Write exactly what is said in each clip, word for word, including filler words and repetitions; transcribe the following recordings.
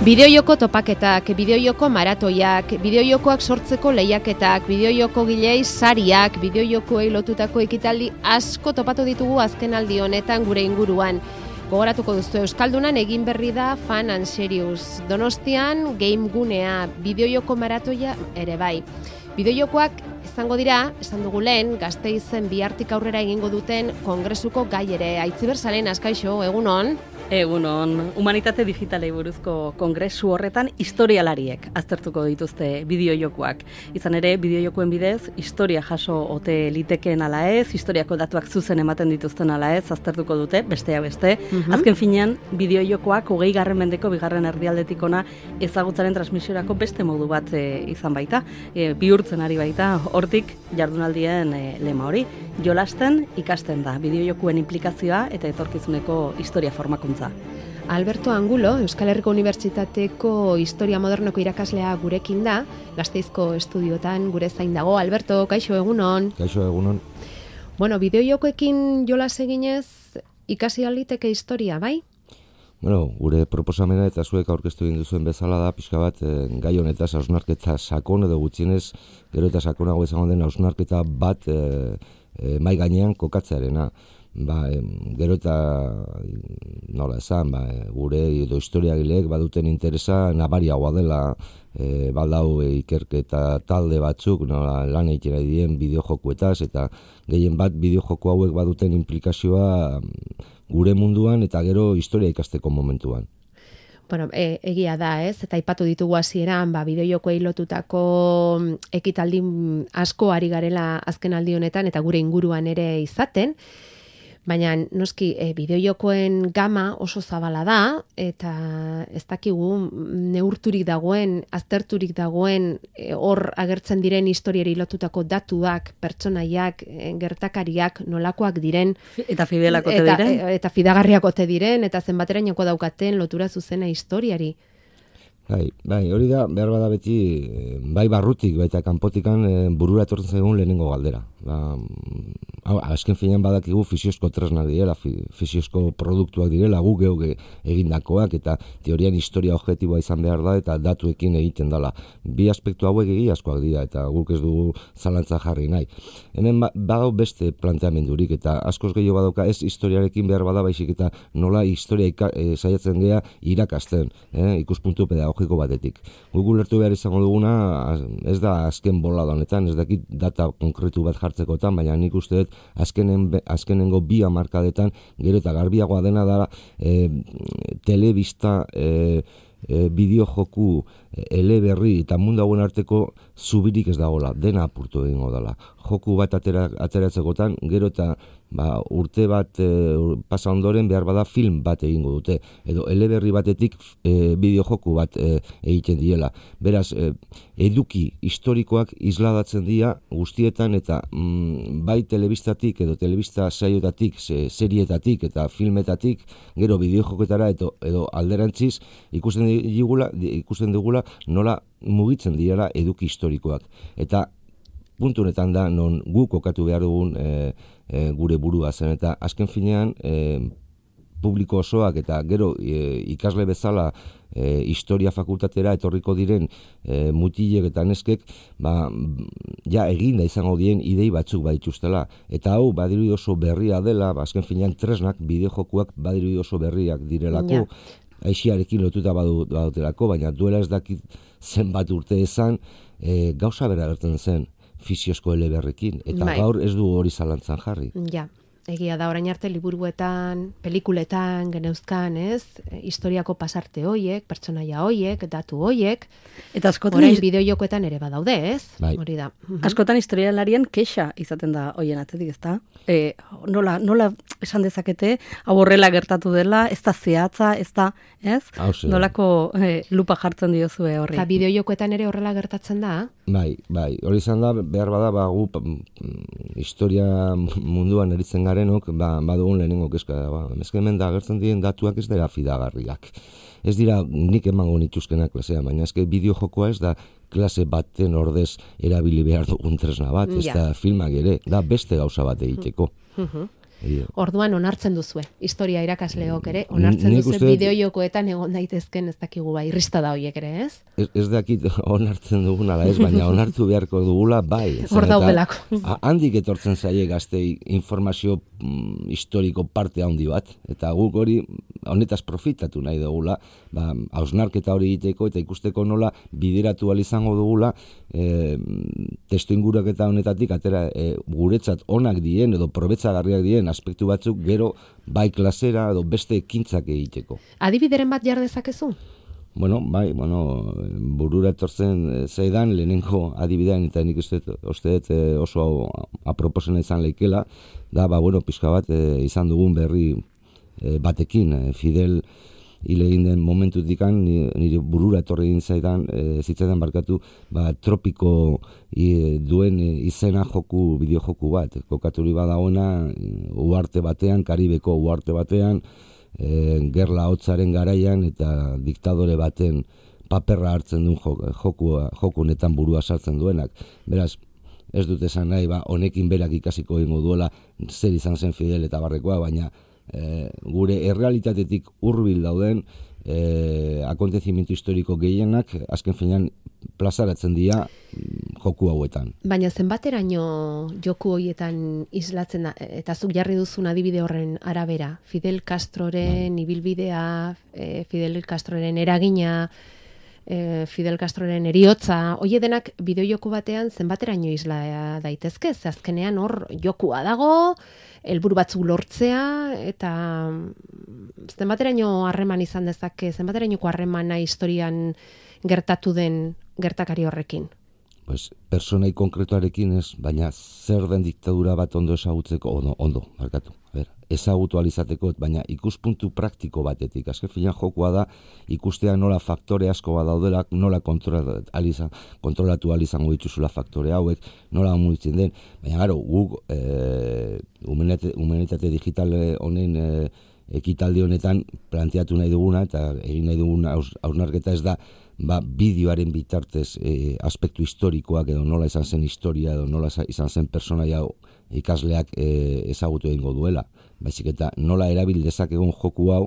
Bideojoko topaketak, bideojoko maratoiak, bideojokoak sortzeko lehiaketak, bideojoko gilei sariak, bideojokoei lotutako ekitaldi asko topatu ditugu azken aldi honetan gure inguruan. Gogoratuko duzue Euskaldunan egin berri da Fun and Serious. Donostian Game Gunea, bideojoko maratoia ere bai. Bideojokoak izango dira, esan dugu lehen, Gasteizen bihartik aurrera egingo duten kongresuko gai ere. Aitziber Salen, azkaixo, egunon? Egunon, humanitate digitalei buruzko kongresu horretan historialariek aztertuko dituzte bideojokoak. Izan ere, bideojokoen bidez, historia jaso ote litekeen ala ez, historiako datuak zuzen ematen dituzten ala ez, aztertuko dute, bestea beste. Mm-hmm. Azken finean, bideojokoak hogei garren mendeko bigarren erdialdetik ona ezagutzaren transmisiorako beste modu bat e, izan baita. E, bihurtzen ari baita, hortik jardunaldien e, lema hori. Jolasten ikasten da, bideojokoen implikazioa eta etorkizuneko historia formakuntza. Alberto Angulo, Euskal Herriko Unibertsitateko Historia Modernoko irakaslea gurekin da, Gasteizko estudiotan gure zain dago. Alberto, kaixo egunon. Kaixo egunon. Bueno, bideojokoekin jolas eginez ikasi aliteke historia, bai? Bueno, gure proposamena eta zuek aurkeztu egin duzuen bezala da, pixka bat, e, gai honetaz hausnarketa sakon edo gutxienez, gero eta sakonago izango den hausnarketa bat e, e, mai gainean kokatzearena. Ba, e, gero eta nola esan, ba, e, gure edo historiagileek baduten interesa nabariagoa dela e, baldau e, ikerketa talde batzuk nola, lan egiten ari dien bideojokuetaz eta gehien bat bideojoko hauek baduten implikazioa gure munduan eta gero historia ikasteko momentuan. Bueno, e, egia da, ez? Eta aipatu ditugu hasieran, ba, bideojokoei lotutako ekitaldi asko ari garela azken aldi honetan eta gure inguruan ere izaten. Baina noski e, bideojokoen gama oso zabala da eta ez dakigu neurturik dagoen, azterturik dagoen e, hor agertzen diren historiari lotutako datuak, pertsonaiak, e, gertakariak nolakoak diren eta fidelak ote eta, diren e, eta fidagarriak ote diren eta zenbaterainoko daukaten lotura zuzena historiari. Bai, bai, hori da, behar bada beti, bai barrutik, baita kanpotikan e, burura etortzen zaigun lehenengo galdera. Ba, hau, azken finean badakigu fisiozko tresnak direla, fisiozko produktuak direla, gu geuk egindakoak, eta teorian historia objektiboa izan behar da, eta datuekin egiten dela. Bi aspektu hauek egiazkoak dira, eta guk ez dugu zalantza jarri nahi. Hemen ba, badau beste planteamendurik, eta askoz gehiago badauka ez historiarekin behar bada, baizik eta nola historia ika, e, saiatzen gea irakasten, eh, ikuspuntu pedagogiko batetik. Guk ulertu behar izango duguna, ez da azken bolada honetan, ez dakit data konkretu bat jartzekotan, baina nik uste dut azkenen, azkenengo bi hamarkadetan gero eta garbiagoa dena da e, telebista e, e, bideojoku eleberri eta mundu hauen arteko zubirik ez dagoela, dena apurtu egingo dela. Joku bat atera, ateratzekotan, gero eta ba, urte bat e, pasa ondoren behar bada film bat egingo dute, edo eleberri batetik e, bideojoku bat e, egiten diela. Beraz, e, eduki historikoak isladatzen dira guztietan eta mm, bai telebistatik edo telebista saioetatik, se, serietatik eta filmetatik, gero bideojoketara edo, edo alderantziz ikusten digula, ikusten digula nola mugitzen direla eduki historikoak. Eta puntu honetan da non guk kokatu behar dugun e, e, gure burua zen, eta azken finean e, publiko osoak eta gero e, ikasle bezala e, historia fakultatera etorriko diren e, mutilek eta neskek ba, ja eginda izango dien idei batzuk badituztela. Eta hau badirudi oso berria dela, ba, azken finean tresnak, bideojokuak badirudi oso berriak direlako, ja. Aixiarekin lotuta badu, badutelako, baina duela ez dakit zenbat urte ezan, e, gauza bera gertzen zen fisiozko eleberrekin, eta bai. Gaur ez du hori zalantzan jarri. Ja, egia da, orain arte liburuetan, pelikuletan, geneuzkan, ez? Historiako pasarte hoiek, pertsonaia hoiek, datu hoiek, eta askotan orain bideojokoetan ere badaude, ez? Bai. Hori da. Askotan historialarien kexa izaten da hoien atzetik, ezta? E, nola, nola esan dezakete, hau horrela gertatu dela, ez da zehatza, ez da, ez? Nolako e, lupa jartzen diozue horri. Eta bideojokoetan ere horrela gertatzen da? Bai, bai, hori izan da, behar bada, ba, gu, historia munduan eritzen garenok, ba, badugun lehenengo kezka, ba, hemen da agertzen diren datuak ez dira fidagarriak. Ez dira nik emango nituzkenak klasean, baina eske bideojokoa ez da klase baten ordez erabili behar dugun tresna bat, ez da filmak ere, da beste gauza bat egiteko. Orduan onartzen duzue, historia irakasleok ere, onartzen Nik duzue uste dut- bideojokoetan egon daitezken ez dakigu bai, irrista da horiek ere, ez? Ez, ez dakit onartzen dugun ala ez, baina onartu beharko dugula bai. Hor Zeren eta daudelako. a- Handik etortzen zaie gaztei informazio mm, historiko parte handi bat, eta guk hori honetaz profitatu nahi dugula, ba, hausnarketa hori egiteko eta ikusteko nola bideratu ahal izango dugula e, testu inguraketa honetatik atera e, guretzat onak dien edo probetzagarriak dien aspektu batzuk gero bai klasera edo beste ekintzak egiteko. Adibideren bat jar dezakezu? Bueno, bai, bueno, burura etortzen eh, zaidan lehenengo adibidean, eta nik uste dut- uste dut eh, oso aproposena izan leikela, da, ba, bueno, pixka bat eh, izan dugun berri eh, batekin, eh, Fidel hil egin den momentutikan, ni- nire burura etorri egin zaidan, eh, zitzaidan barkatu, ba, tropiko i, duen eh, izena joku, bideojoku bat, kokaturi badagoena, eh, uarte batean, Karibeko uarte batean, e, gerla hotzaren garaian eta diktadore baten paperra hartzen duen jok, joku, joku honetan burua sartzen duenak. Beraz, ez dut esan nahi, ba, honekin berak ikasiko egingo duela zer izan zen Fidel eta barrekoa, baina e, gure errealitatetik hurbil dauden e, akontezimiento historiko gehienak azken finean plazaratzen dira mm, joku hauetan. Baina zenbateraino joku horietan islatzen da, eta zuk jarri duzun adibide horren arabera, Fidel Castroren ibilbidea, eh, Fidel Castroren eragina, eh, Fidel Castroren eriotza, hoie denak bideojoko batean zenbateraino isla daitezke, ze azkenean hor jokua dago, helburu batzuk lortzea, eta mm, zenbateraino harreman izan dezake, zenbaterainoko harremana historian gertatu den gertakari horrekin. Pues, personai konkretuarekin ez, baina zer den diktadura bat ondo ezagutzeko, ondo, ondo, barkatu, a ber, ezagutu alizateko, baina ikuspuntu praktiko batetik. Azken finean jokoa da, ikustea nola faktore asko bat daudela, nola kontrolatu, alizan, kontrolatu alizango dituzula faktore hauek, nola mugitzen den, baina gero, guk e, humanitate, humanitate digital honen e, ekitaldi honetan planteatu nahi duguna, eta egin nahi duguna hausnarketa ez da, ba, bideoaren bitartez e, aspektu historikoak edo nola izan zen historia edo nola izan zen personaia ikasleak e, ezagutu egingo duela. Baizik eta nola erabil dezakegun joku hau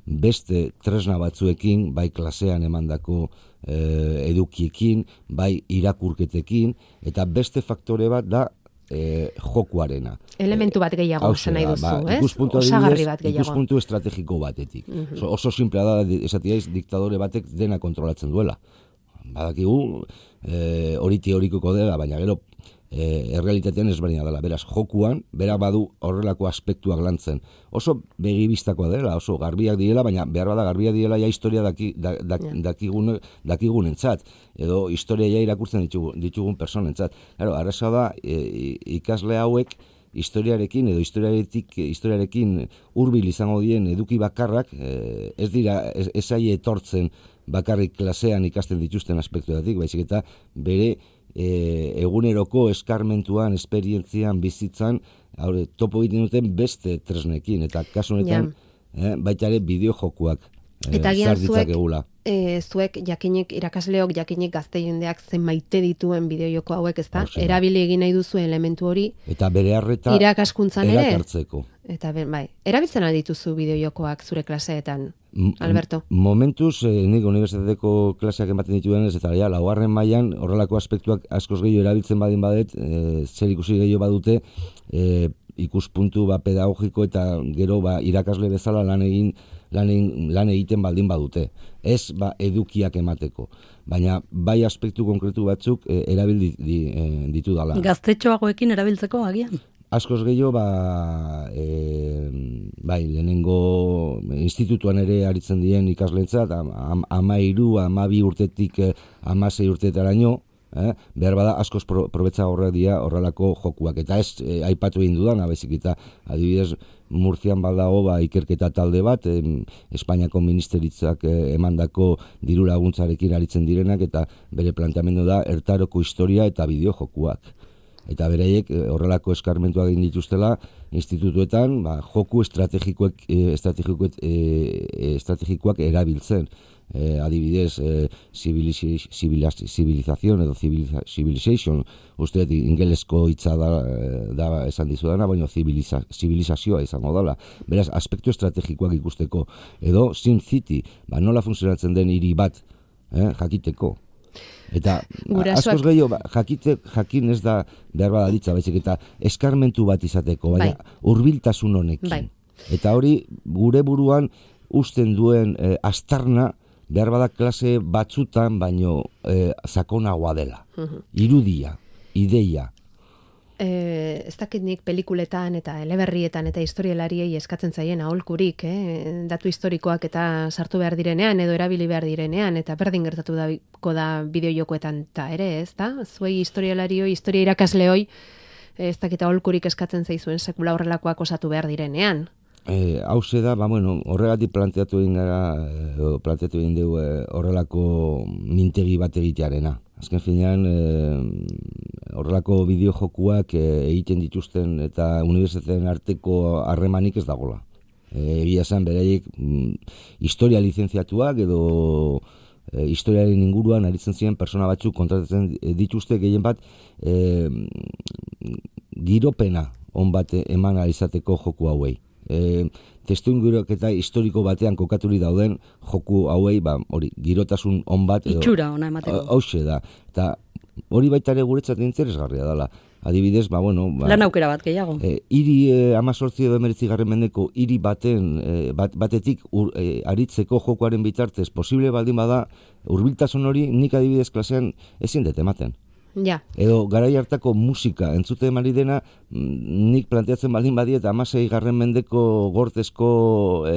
beste tresna batzuekin, bai klasean emandako e, edukiekin, bai irakurketekin, eta beste faktore bat da e, jokuarena. Elementu bat gehiago esan nahi duzu, ba, ez? ikuspuntu Osagarri adibidez, bat gehiago. Ikuspuntu estrategiko batetik. Oso, oso simplea da, esatiaiz, diktadore batek dena kontrolatzen duela. Badakigu, e, hori teorikoko dela, baina gero e, errealitatean ezberdina dela. Beraz, jokuan, berak badu horrelako aspektuak lantzen. Oso begibistakoa dela, oso garbiak direla, baina behar bada garbiak direla ja historia daki, da, da, dakigun, dakigunentzat, edo historia ja irakurtzen ditugun, ditugun personentzat. Claro, arraza da, e, ikasle hauek historiarekin edo historiaretik historiarekin hurbil izango dien eduki bakarrak e, ez dira ez, ez aie etortzen bakarrik klasean ikasten dituzten aspektuetatik, baizik eta bere e, eguneroko eskarmentuan, esperientzian, bizitzan, haure, topo egiten duten beste tresnekin, eta kasu honetan eh, baita ere bideojokuak eh, Eta gian zuek, egula. e, zuek jakinik irakasleok, jakinik gazte jendeak zen maite dituen bideojoko hauek, ezta? Hauxe da. Erabili egin nahi duzu elementu hori Eta bere harreta irakaskuntzan ere. erakartzeko. Eta ben, bai, erabiltzen aldituzu bideojokoak zure klaseetan, Alberto? M- Momentuz, eh, nik unibertsitateko klaseak ematen dituenez, eta ja, laugarren mailan horrelako aspektuak askoz gehiago erabiltzen badin badet, e, zer ikusi gehiago badute, e, ikuspuntu ba, pedagogiko eta gero ba, irakasle bezala lan egin lan, egin, lan egiten baldin badute. Ez ba, edukiak emateko, baina bai aspektu konkretu batzuk e, erabil di, di, e, ditu dala. Gaztetxoagoekin erabiltzeko agian? Askoz gehiago, ba, e, bai, lehenengo institutuan ere aritzen dien ikaslentzat, am, ama iru, ama bi urtetik amasei urtetaraino, eh? behar bada askoz pro, probetza horrek dira horrelako jokuak. Eta ez eh, aipatu egin dudan, abezik eta adibidez Murtzian baldago ba, ikerketa talde bat, em, Espainiako ministeritzak eh, emandako diru laguntzarekin aritzen direnak, eta bere planteamendu da ertaroko historia eta bideojokuak. Eta beraiek horrelako eskarmentuak egin dituztela institutuetan, ba, joku estrategikoek, estrategikoek, estrategikoak erabiltzen. eh, adibidez, eh, civilización edo civilization, uste ingelesko hitza da, da esan dizudana, baina civiliza, civilizazioa izango dela. Beraz, aspektu estrategikoak ikusteko, edo Sim City, ba, nola funtzionatzen den hiri bat, eh, jakiteko. Eta askoz gehiago, ba, jakite, jakin ez da behar badalitza, baizik, eta eskarmentu bat izateko, baina bai. Hurbiltasun honekin. Bai. Eta hori, gure buruan usten duen eh, astarna, behar badak klase batzutan, baino eh, sakonagoa dela. Uh-huh. Irudia, ideia. Eh, ez dakit nik pelikuletan eta eleberrietan eta historialariei eskatzen zaien aholkurik, eh? Datu historikoak eta sartu behar direnean edo erabili behar direnean, eta berdin gertatu dago da bideojokoetan eta ere, ez da? Zuei historialarioi, historia irakasleoi, ez dakit aholkurik eskatzen zaizuen sekula horrelakoak osatu behar direnean. Eh, hauze da, ba, bueno, horregatik planteatu egin gara, eh, planteatu egin dugu eh, horrelako mintegi bat egitearena. Azken finean, eh, horrelako bideojokuak eh, egiten dituzten eta unibertsitateen arteko harremanik ez dagola. Eh, egia zen, beraiek mm, historia lizentziatuak edo eh, historiaren inguruan aritzen ziren persona batzuk kontratatzen dituzte gehien bat eh, giropena on bat eman izateko joku hauei. E, testuinguruketa historiko batean kokaturi dauden joku hauei, ba, hori, girotasun on bat edo itxura ona emateko. Hauxe da. Eta hori baita ere guretzat interesgarria dela. Adibidez, ba, bueno, ba, lan aukera bat gehiago. E, hiri e, amazortzi edo emeretzi garren mendeko hiri baten e, bat, batetik ur, e, aritzeko jokoaren bitartez posible baldin bada, hurbiltasun hori nik adibidez klasean ezin dut ematen. Ja. Edo garai hartako musika entzute emari dena, nik planteatzen baldin badi eta hamasei garren mendeko gortezko e,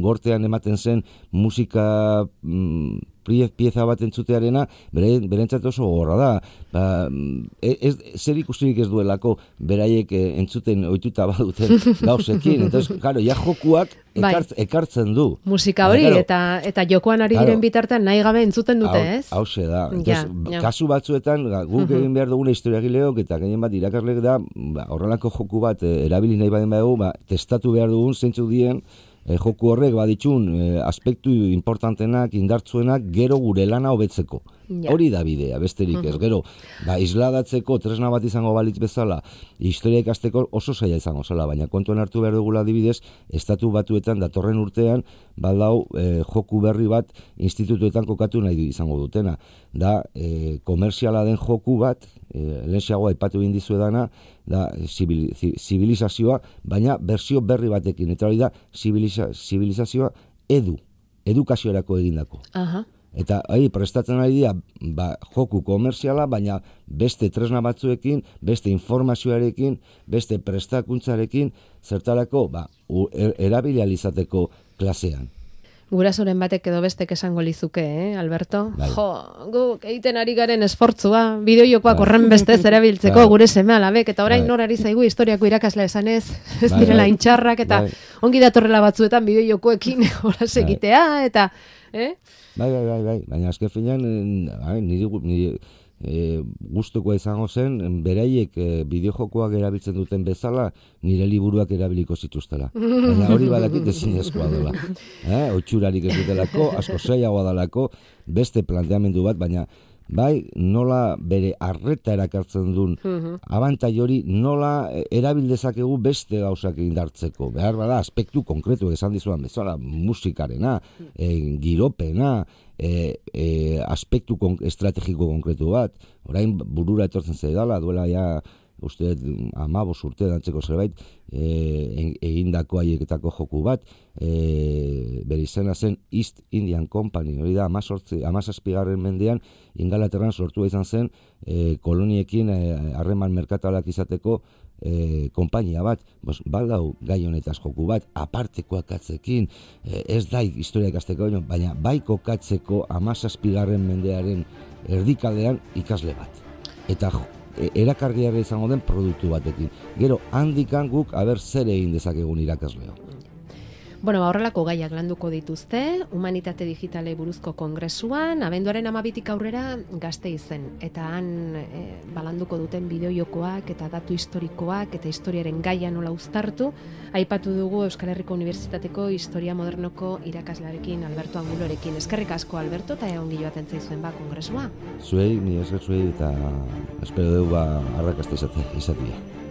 gortean ematen zen musika mm, pieza bat entzutearena, bere, berentzat oso gorra da. Ba, ez, zer ikusirik ez duelako beraiek entzuten ohituta baduten gauzekin. Entonces, claro, ja jokuak ekartz, bai. ekartzen du. Musika hori, claro, eta eta jokoan ari claro, diren bitartean nahi gabe entzuten dute, hau, ez? Hauxe da. Entonces, ja, ja. Kasu batzuetan, guk egin behar duguna historiagileok, eta gehien bat irakasleek da, ba, horrelako joku bat erabili nahi baden badugu, ba, testatu behar dugun zeintzuk dien, E, joku horrek baditxun e, aspektu importantenak, indartzuenak, gero gure lana hobetzeko. Ja. Hori da bidea, besterik ez. Gero, ba, isladatzeko tresna bat izango balitz bezala, historia ikasteko oso zaila izango zela, baina kontuan hartu behar dugula adibidez, estatu batuetan datorren urtean, baldau e, joku berri bat institutuetan kokatu nahi du izango dutena. Da, e, komerziala den joku bat, e, lehenxeagoa aipatu egin dizuedana, da zibilizazioa, baina berzio berri batekin. Eta hori da, zibilizazioa edu, edukaziorako egindako. Aha. Eta hori, prestatzen ari dira, ba, joku komerziala, baina beste tresna batzuekin, beste informazioarekin, beste prestakuntzarekin, zertarako, ba, erabilializateko klasean. Gurasoren batek edo bestek esango lizuke, eh, Alberto? Bai. Jo, guk egiten ari garen esfortzua, bideojokoak horren bestez erabiltzeko bai. Gure seme-alabek, eta orain bai. Nor ari zaigu historiako irakasle esanez, ez bai, direla bai. Intxarrak, eta bai. Ongi datorrela batzuetan bideojokoekin horaz egitea, eta... Eh? Bai, bai, bai, bai, baina azken finean, niri, niri e, gustukoa izango zen, beraiek e, bideojokoak erabiltzen duten bezala, nire liburuak erabiliko zituztela. Baina hori badakit ezinezkoa dela. Eh? Otxurarik ez dutelako, asko zailagoa dalako, beste planteamendu bat, baina bai, nola bere arreta erakartzen duen abantai hori, nola erabildezakegu beste gauzak indartzeko. Behar bada, aspektu konkretu esan dizuan bezala, musikarena, e, giropena, e, e, aspektu kon, estrategiko konkretu bat. Orain burura etortzen zaidala, duela ja, uste, amabos urte dantzeko zerbait, e, egindako haieketako joku bat, e, bere izena zen East Indian Company, hori da, amazazpigarren mendean, Ingalaterran sortua izan zen, e, koloniekin harreman e, merkatalak izateko e, konpainia bat, bos, baldau gai honetaz joku bat, aparteko akatzekin, e, ez da historia ikasteko, baina bai kokatzeko amazazpigarren mendearen erdikaldean ikasle bat. Eta erakargarria izango den produktu batekin. Gero, handikan guk, aber zer egin dezakegun irakasleo. Bueno, ba, horrelako gaiak landuko dituzte, humanitate digitale buruzko kongresuan, abenduaren amabitik aurrera Gasteizen, eta han e, balanduko duten bideojokoak eta datu historikoak eta historiaren gaia nola uztartu, aipatu dugu Euskal Herriko Unibertsitateko Historia Modernoko irakaslearekin Alberto Angulorekin. Eskerrik asko, Alberto, eta ongi joaten zaizuen ba kongresua. Zuei, ni esker zuei, eta espero dugu ba, arrakasta izatea.